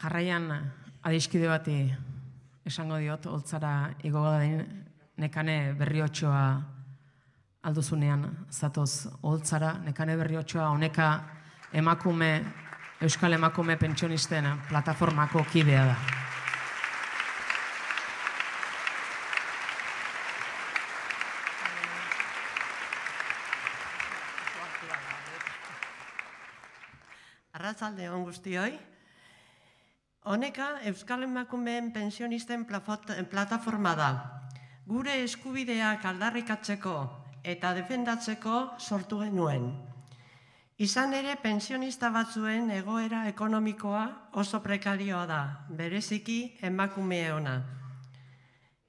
Jarraian adiskide bati esango diot, holtzara igogo da Nekane Berriotxoa alduzunean zatoz holtzara. Nekane Berriotxoa honeka Euskal Emakume Pentsionisten plataformako kidea da. Arratsalde on guztioi. Honeka Euskal Emakumeen Pentsionisten plataforma da. Gure eskubideak aldarrikatzeko eta defendatzeko sortu genuen. Izan ere, pentsionista batzuen egoera ekonomikoa oso prekarioa da, bereziki emakumeona.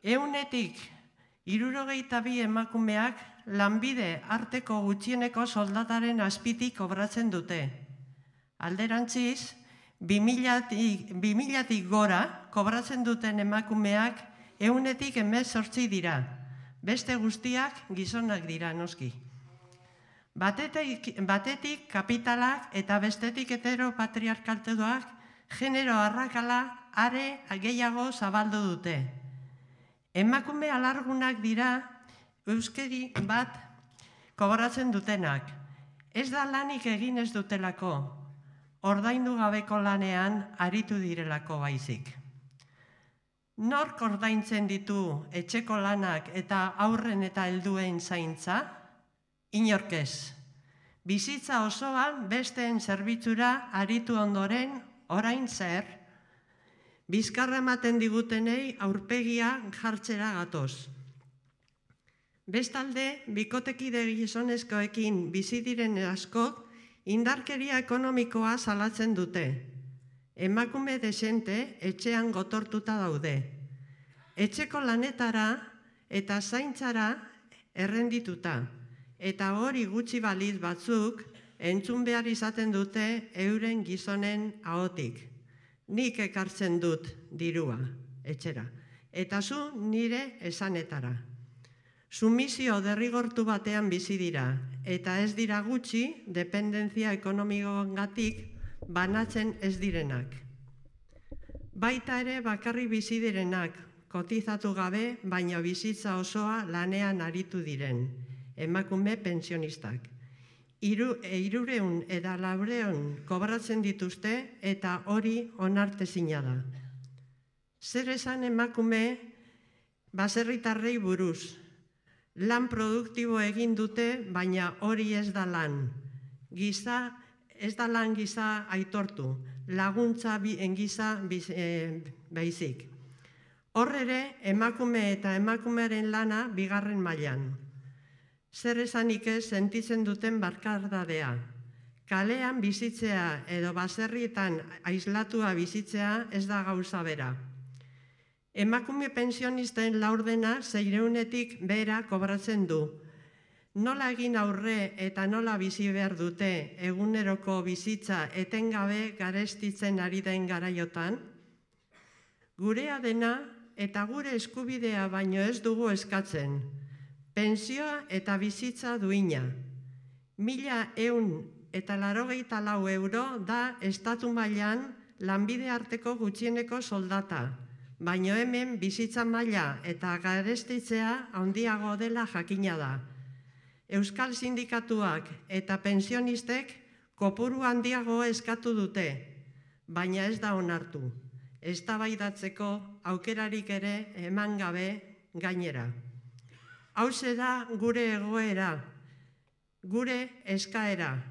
162 emakumeak lanbide arteko gutxieneko soldataren azpitik kobratzen dute. Alderantziz, 2000-tik gora kobratzen duten emakumeak 118 dira. Beste guztiak gizonak dira, noski. Batetik kapitalak eta bestetik heteropatriarkaltuak genero arrakala are gehiago zabaldu dute. Emakume alargunak dira euskeri bat kobratzen dutenak. Ez da lanik egin ez dutelako, ordaindu gabeko lanean aritu direlako baizik. Nork ordaintzen ditu etxeko lanak eta haurren eta helduen zaintza? Inork ez. Bizitza osoan besteen zerbitzura aritu ondoren, orain zer? Bizkarra ematen digutenei aurpegia jartzera gatoz. Bestalde, bikotekide gizonezkoekin bizi diren askok indarkeria ekonomikoa salatzen dute. Emakume desente etxean gotortuta daude. Etxeko lanetara eta zaintzara errendituta. Eta hori gutxi baliz batzuk entzun behar izaten dute euren gizonen ahotik. Nik ekartzen dut dirua, etxera. Eta zu nire esanetara. Sumisio derrigortu batean bizi dira, eta ez dira gutxi dependentzia ekonomikoengatik banatzen ez direnak. Baita ere bakarri bizi direnak, kotizatu gabe, baina bizitza osoa lanean aritu diren, emakume pentsionistak. 300 eta 400 kobratzen dituzte eta hori onartezina da. Zer esan emakume baserritarrei buruz? Lan produktibo egin dute, baina hori ez da lan. Ez da lan giza aitortu, laguntza giza baizik. Hor ere, emakume eta emakumearen lana bigarren mailan. Zer esanik ez sentitzen duten bakardadea. Kalean bizitzea edo baserrietan aislatua bizitzea ez da gauza bera. Emakume pentsionisten laurdena 600-tik behera kobratzen du. Nola egin aurre eta nola bizi behar dute eguneroko bizitza etengabe garestitzen ari den garaiotan? Gurea dena eta gure eskubidea baino ez dugu eskatzen. Pentsioa eta bizitza duina. 1.184 euro da estatu mailan lanbide arteko gutxieneko soldata. Baino hemen bizitza maila eta garestitzea handiago dela jakina da. Euskal sindikatuak eta pentsionistek kopuru handiago eskatu dute, baina ez da onartu. Eztabaidatzeko aukerarik ere eman gabe gainera. Hauxe da gure egoera, gure eskaera,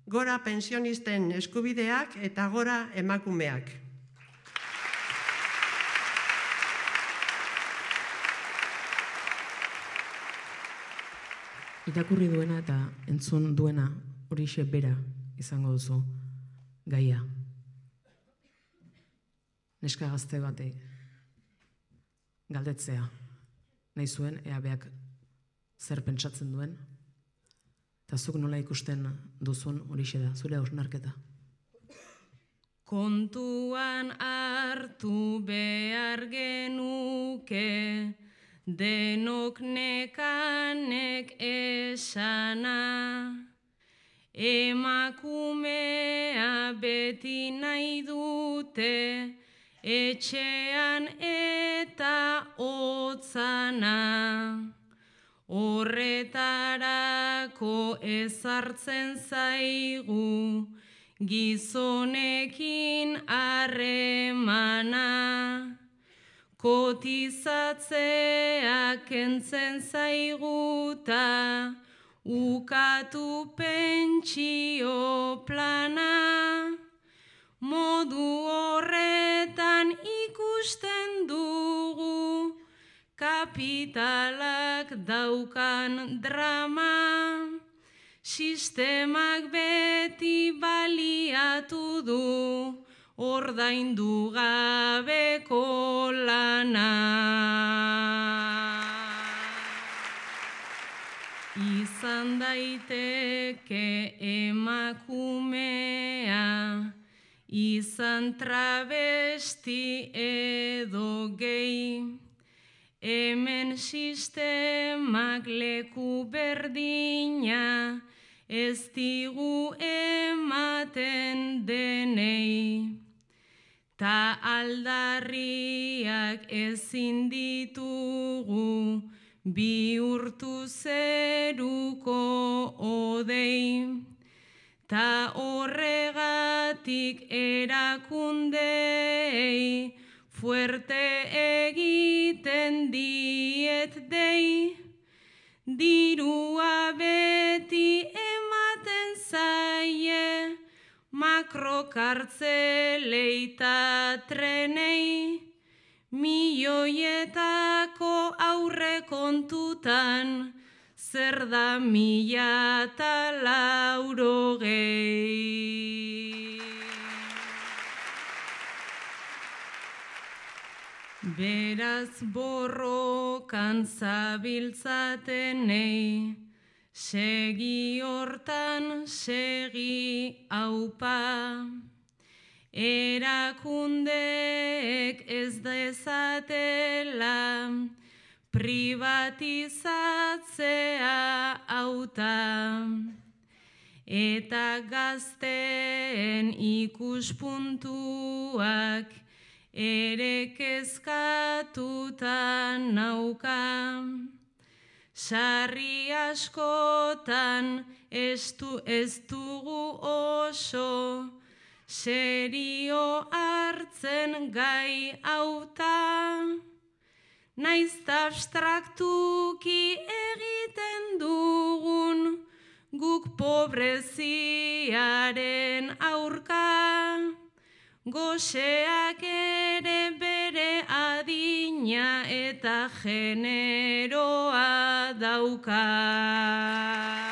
gora pentsionisten eskubideak eta gora emakumeak. Irakurri duena eta entzun duena horixe bera izango duzu gaia. Neska gazte bate galdetzea nahi zuen, ea beak zer pentsatzen duen, eta zuk nola ikusten duzun horixe da, zure hausnarketa. Kontuan hartu behar genuke, denok nekanek esana, emakumea beti nahi dut digute, etxean eta hotzana. Horretarako ezartzen zaigu, gizonekin harremana. Kotizatzea kentzen zaiguta, ukatu pentsio plana. Modu horretan ikusten dugu, kapitalak daukan drama. Sistemak beti baliatu du, ordaindu gabeko lana. Izan daiteke emakumea, izan travesti edo gay. Hemen sistemak leku berdina, ez digu ematen denei. Ta aldarriak ezin ditugu, bihurtu zeruko odei. Ta horregatik erakundei, fuerte egiten diet dei. Dirua beti ematen zaie, makrokartzelei ta trenei. Milioietako aurrekontutan, zer da 180. Beraz borrokan zabiltzatenei, segi hortan segi aupa. Erakundeek ez dezatela privatizatzea hauta. Eta gazteen ikuspuntuak ere kezkatuta nauka. Sarri askotan ez dugu oso serio hartzen gai hauta. Naizta abstraktuki egiten dugun guk pobreziaren aurka. Goseak ere bere adina eta generoa dauka.